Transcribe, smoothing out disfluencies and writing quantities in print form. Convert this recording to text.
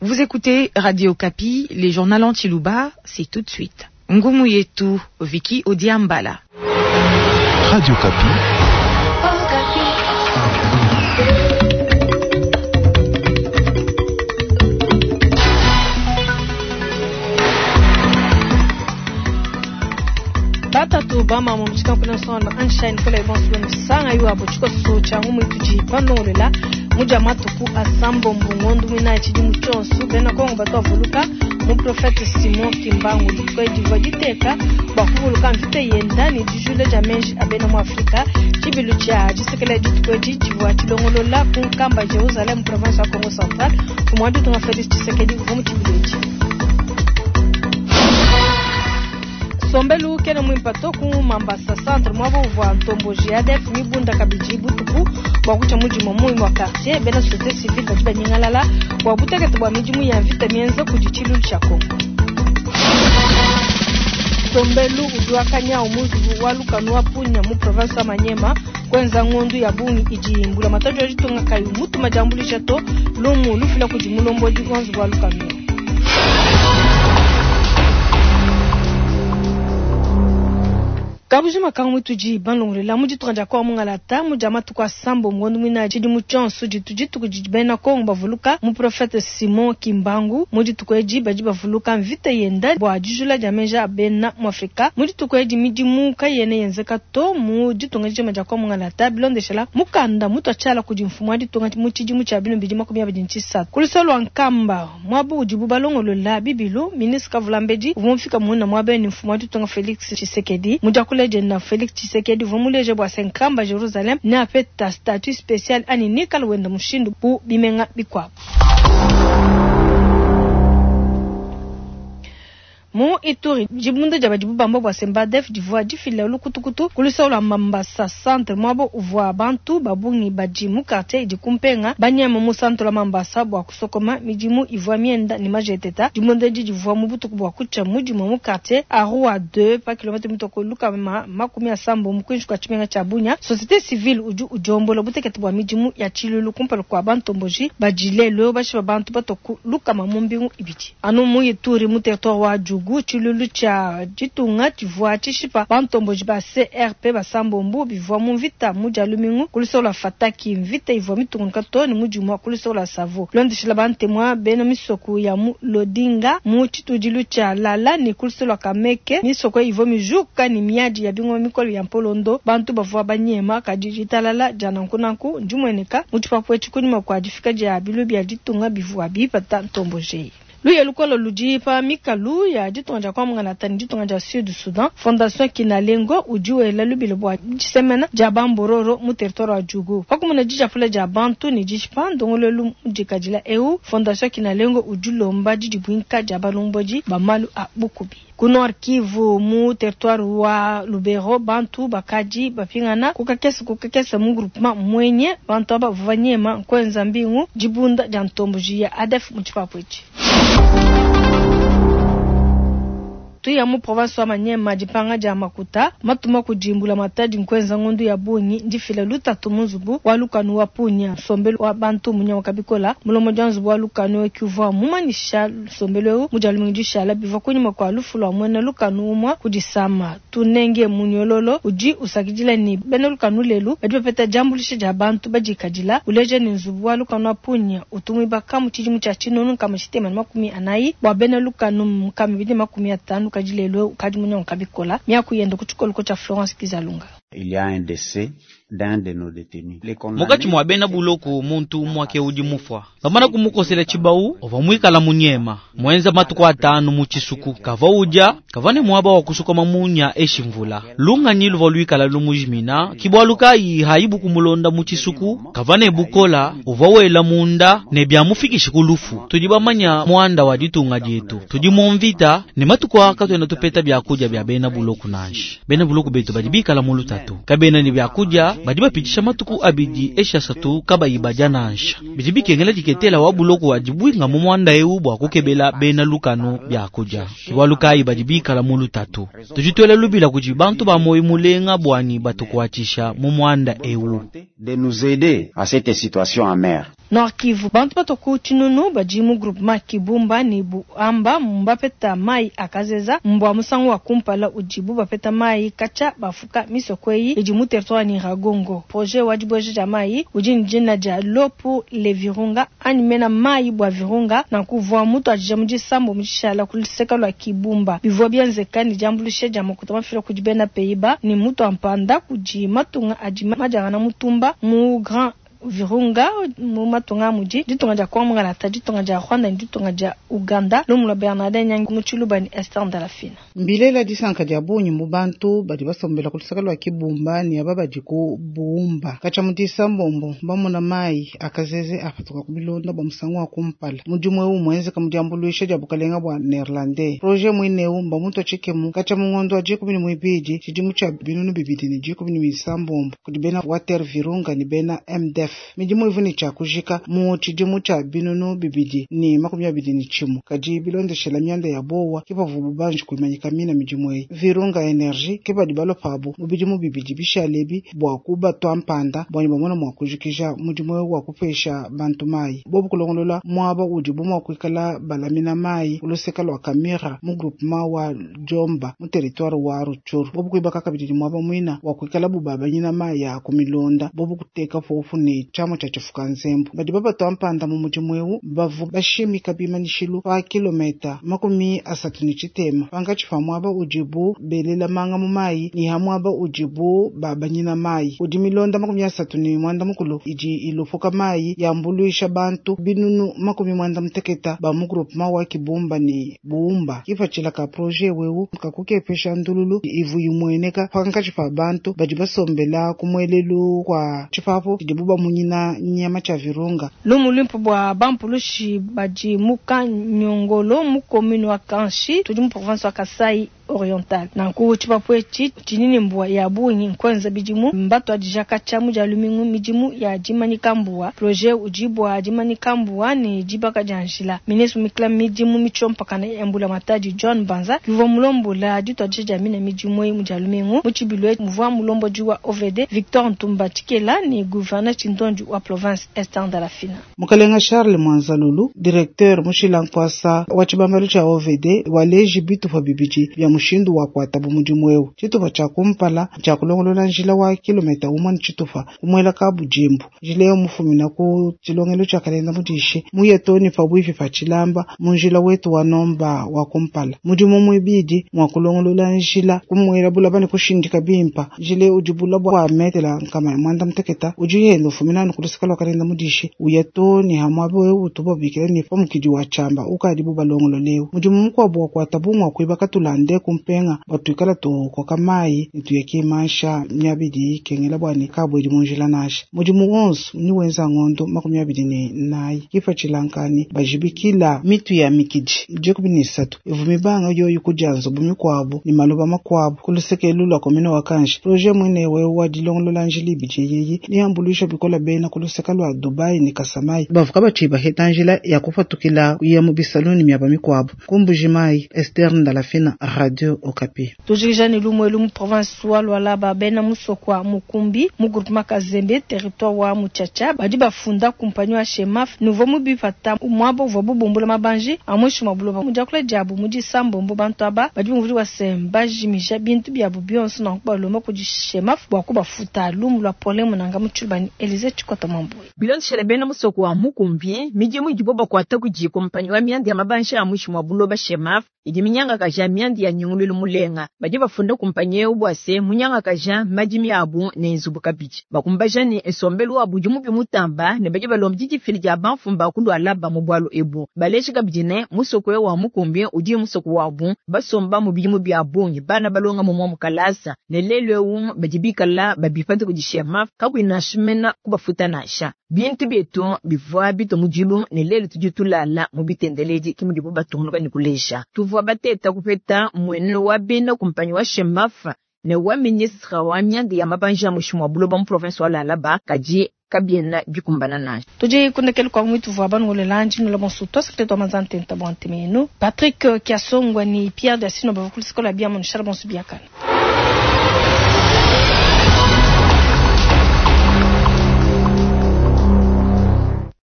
Vous écoutez Radio Okapi, les journaux en Tshiluba, c'est tout de suite. Ngumu yetu, Vicky Odiambala. Radio Okapi. Batatu bamamu mutshikanku sonda Einstein kola ibonso benu sanga yuabo tshikoso tshia ngumu itudi balongolola mudia matuku asambombo ngondu muinayi tshidimu tshionso bena Kongo batu bavuluka muprofete Simon Kimbangu dituku edi divua diteka bua kuvuluka mvita yenda ne dijula dia meji a bena mu Afrika. Tshibilu tshia disekelela dituku edi tshivua tshilongolola ku Nkamba Jerusalem mu province wa Kongo Central. Mfumu wa ditunga Felix Tshisekedi uvua mu tshibilu etshi. Nsombelu kena muimpa to ku Mambasa Centre muaba uvua ntomboji ya ADF mibunda kabidi butuku bua kutshia mu dimue mu imue quartier. Bena societe civile badi banyingalala bua butekete bua midimu ya mvita mienza kudi tshilulu tshia Congo. Nsombelu udi wa kanyawu mu nzubu wa lukanu wa Punia mu province wa Maniema kuenza ngondu ya bungi idi mbulamatadi wa ditunga kayi mutuma diambuluisha to. Lumu lufila kudi mulombodi wa nzubu wa lukanu. Kabujima ka mutudi balongolola mu ditunga dia Kongo mungalata mu dia matuku asambombo ngondo muinayi tshidimu tshionso ditu dituku didi bena Kongo bavuluka muprofete Simon Kimbangu. Mu dituku edi badi bavuluka mvita yenda bua dijula dia meji a bena mu Afrika. Mu dituku edi midimu kayena yenzeka to mu ditunga dijima dia Kongo mungalata bilondeshela mukanda mutua tshiala kudi mfumu wa ditunga mu tshidimu tshia binunu bidi makumi abidi ne tshisatu. Ku luseke lua Nkamba muaba udibu balongolola bibilu, ministre Kavulambedi uvua mufika muina muaba ne mfumu wa ditunga Felix Tshisekedi. Mu diakula dienda, Felix Tshisekedi uvua muleja bua se Nkamba Jerusalem neapeta statut special anyi nikala wenda mushindu bu bimenga bikuabu. Mu Ituri, dibunda dia badibu bamba bua se mba-ADF divua difila lukutukutu ku luseke lua Mambasa Centre, muaba uvua bantu ba bungi badi mu quartier idi ku mpenga banyema mu centre wa Mambasa bua kusokoma. Midimu ivua mienda ne majeteta. Dibunda edi divua mu butuku bua kutshia mu dimue mu quartier Arua 2 pa kilometre mitue ku 160 kuinshi kua tshimenga tshia Bunia. Societe civile udi udiombola butekete bua midimu ya tshiluilu kumpala kua bantomboji badi lelu eu bashipa bantu batua ku lukama mu mbingu ibidi. Anu mu Ituri, mu territoire wa Djugu, tshiluilu tshia ditunga tshivua tshishipa bantomboji ba CRP basambombo bivua mu mvita mu Dia lumingu ku luseke lua Fataki. Mvita ivua mitungunuka too ne mu Dimua ku luseke lua Savo. Bilondeshila bantemua bena misoku ya mu Lodinga, mu tshitudilu tshia Lala ne ku luseke lua Kameke, misoko eyi ivua mijuka ne miadi ya bingoma mikole ya mpolondo. Bantu bavua banyema, kadi ditalala dia nankunanku ndimueneka mu tshipapu etshi kunyima kua difika dia biluilu bia ditunga bivua bipata ntomboji eyi. Luya lukole ludi pa mikalu ya ditunga dia Kwa-Mungalata ne ditunga dia Sud Soudan. Fondation Kinalengo udi wela lubila bua disemena dia ba Mbororo mu territoire wa Djugu. Pa kumona dijapula dia bantu ne dishipa ndongoluelu mudikadila eu, Fondation Kinalengo udi ulomba didibuinka dia balombodi ba malu a bukubi. Ku Nord Kivu, mu territoire wa Lubero, bantu bakadi bapingana ku kakese ku kakese mu groupement Mwenye. Bantu aba bavua banyema nkuenza mbingu dibunda dia ntomboji ya ADF mu tshipapu etshi. Tuya mu province wa Maniema, dipanga dia makuta matuma kudi mbulamatadi nkuenza ngondu ya bungi ndifila lutatu mu nzubu wa lukanu wa Punia. Nsombelu wa bantu munyanguka bikola. Mulombodi wa nzubu wa lukanu eu uvua mumanyisha nsombelu eu mu dia lumingu dishala bivua kunyima kua lufu lua muena lukanu umua ku disama. Tunenge Munyololo udi usakidila ne, bena lukanu lelu badi bapeta diambuluisha dia bantu badikadila. Uleja ne, nzubu wa lukanu wa Punia utu muibaka mu tshidimu tshia 1440 bua bena lukanu 250 kadi lelu eu ukadi munyanguka bikola. Miaku yende ku tshikoloko tshia Florence Kizalunga. Il y a un décès d'un de nos détenus. Les condamnés Mukatshi mua bena buloko muntu umua ke udi mufua. Bamana kumukosela tshibawu, uvua muikala munyema, muenza matuku atanu mu tshisuku. Kavua udia, kavua ne muaba wa kusokoma munya eshi mvula. Lunganyi luvua luikala lumujimina, ki bualu kayi haibu kumulonda mu tshisuku. Kavua ne bukola, uvua wela munda ne biamufikishi ku lufu. Tudi bamanya muanda wa ditunga dietu, tudi mu mvita ne matuku aa katuena tupeta biakudia bia bena buloko nansha. Bena buloko betu badi bikala mu lutatu, kabena ne biakudia, badi bapitshisha matuku abidi eshi asatu kabayi badia nansha. Bidi bikengela diketela wa buloko wa dibuinga mu muanda eu bua kukebela bena lukanu biakudia. Ke bualu kayi badi bikala mu lutatu. Tudi tuela lubila kudi bantu ba muoyo mulenga buanyi batukuatshisha mu muanda eu. De nous aider à cette situation amère. Nord Kivu, bantu batua ku tshinunu badi mu groupement Kibumba ne Buhamba mbapeta mayi a kazeza mbua musangu wa kumpala udibu bapeta mayi katshia bafuka misoko eyi idi mu territoire wa Nyiragongo. Projet wa dibueja dia mayi udi ne dina dia L'eau pour les Virunga anyi mena mayi bua Virunga nanku uvua mutuadija mu disambombo dishala ku luseka lua Kibumba. Bivua bienzeka ne diambuluisha dia makuta mafila kudi bena Pays-Bas ne mutua mpanda kudi matunga adi madiangana mutumba mu Grand Virunga mu matunga a mudi ditunga dia Congo mungalata, ditunga dia Rwanda ne ditunga dia Ouganda. Lumu lua Bernardin Nyangi mu Tshiluba ne Esther Ndalafina. Mbilela disanka dia bungi mu bantu badi basombela ku luseke lua Kibumba ne aba badi ku Buumba. Katshia mu Disambombo, mbamona mayi a kazeze apatuka ku bilonda bua musangu wa kumpala. Mudimu eu mmuenzeka mu diambuluisha dia bukalenga bua Neerlandais. Proje muine eu mbamutua tshikemu katshia mu ngondo wa 12 tshidimu tshia 2016 kudi bena Water Virunga ne bena MDF. Midimu ivua ne tshia kujika mu tshidimu tshia 2021, kadi bilondeshela mianda ya buowa ke pavuabu banji kuimanyika mina midimu eyi. Virunga Energy ke badi balua pabu mu bidimu bibidi bishale ebi bua kubatua mpanda bua ne bamone mua kujikija mudimu eu wa kupesha bantu mayi. Bobu kulongolola muaba udibu mua kuikala balamina mayi ku luseke lua Kamira mu groupement wa Djomba mu territoire wa Rutshuru. Bobu kuibaka kabidi ne muaba muina wa kuikalabu babanyina mayi a ku milonda. Bobu kuteka popu ne tshiamua tshia tshifuka nzembu. Badi babatua mpanda mu mudimu eu bavua bashimika bimanyishilu pa kilometa 30 pankatshi pa muaba udibu belela manga mu mayi ne ha muaba udibu babanyina mayi. Kudi milonda 39 idi ilupuka mayi yambuluisha bantu 80 ba mu groupement wa Kibumba ne Buumba. Kipatshila ka projet eu nkakukepesha ndululu ivu imueneka pankatshi pa bantu badi basombela ku muelelu kua tshipapu tshidibu bamunyina nyama tshia Virunga. Lumu luimpe bua bampulushi badi mu Kanyongolo mu commune wa Kanshi tudi mu province wa Kasai Oriental. Nanku tshipapu etshi tshidi ne mbua ya bungi nkuenza bidimu mbatuadija katshia mu dia lumingu midimu ya dimanyika mbua. Projet udi bua dimanyika mbua ne dibaka dia njila. Ministre mikla midimu mitshiompakana ya mbulamatadi John Banza uvua mulombola dituadija dia mina midimu eyi mu dia lumingu mu tshibilu muvua mulombodi wa OVD Victor Ntumba Tshikela ne gouverneur Tshindondi wa province Esther Ndalafina. Mukalenga Charles Mwanzalulu, directeur mushila nkuasa wa tshibambalu tshia OVD waleji bitupa bibidi bia mushindu wa kuatabu mudimu eu. Tshitupa tshia kumpala tshia kulongolola njila wa kilomita 1 ne tshitupa kumuela ka budimbu. Njila eu mufumina ku tshilongelo tshia kalenda mudishi muye toni pa bwipi pa tshilamba mu njila wetu wa nomba wa kumpala. Mudimu muibidi mwa kulongolola njila kumuela bulaba ne kushindika bimpa. Njila eu udi bulaba bua metela nkama ya mwanda muteketa udi yenda ufumina anu ku luseke lua kalenda mudishi uya toni ha muaba eu utubu babikila ne pamukidi wa tshamba ukadibu balongolola eu. Mudimu mukuabu wa kuatabu ngwa kuibaka tulande kumpenga batuikala tukoka mayi ne tuya kimansha miabidi kengela bua ne kabwedi mu njila nasha. Mudimu wonso ni wenza ngondo 24 kipatshila bajibikila mitu ya mikidi 13 ivu mibanga yoyo kudia nzubu mikuabu ne maloba makuabu ku luseke lwa commune wa Kanshi. Projet mwene wewe wa dilongolola njila ibidi yeyi ni ambuluisha bikola bena ku luseke lwa Dubai ne Kasamai bavuka batshiba heta njila ya kupatukila kuya mu bisaloni miaba mikuabu. Kumbuji Mai, Esther Ndalafina, Radio Okapi. Tujikija ne lumwe mu province wa Lualaba bena musokwa Mukumbi mu groupement Kazembe territoire wa Mutshatsha badi bafunda kumpanyi wa Chemaf nouveau mubipata mwabo uvua bubumbula mabanji amwishi mwa buloba mudiakula diabu mu disambombo bantu aba badi bumvudi wa semba jimisha bintu biabu bionso na kubalomba kudi Chemaf bua kubafuta lumu lwa problème nanga mu Tshiluba Elise Tshikota Mwambui. Bilondeshele bena musoko wa Mukumbi midimu idibo bakuata kudi kumpanyi wa mianda ya mabanji amwishi mwa buloba Chemaf idi minyanga kaja mianda ya nyungululu mulenga badi bafunda kumpanyi eu bua se munyanga kaja madimi abu ne nzubu kabidi bakumbaja ne esombelu abu dimu bimutamba ne badi balomba didifili dia banfumba kulwala mu bwalu ebu baleji kabidi ne musoko wa Mukumbi udi musoko wabu basomba mu bidimu bia bungi bana balonga mu mukalasa ne lelo eu badi bikala babipata kudi Chemaf kakwina shimena kubafuta nasha bintu bietu bivua bito mudilu ne lelo tudi tulala mu bitendeledi kimudibu batungunuka ne kulesha tuvua bateta kupeta mwene wa bena kumpanyi wa Chemaf ne wa ministre wa mianda ya mabanji ya mushimu wa buloba mu province wa Lualaba kadi kabiena bikumbana naye. Tudi kundekele kwa mwitu vwa banu lanji nula bonsu twasakile twa manzante nta bwante menu Patrick Kiasongwa ni Pierre Dasino bavukulu sikola bia monishala bonsu biakana.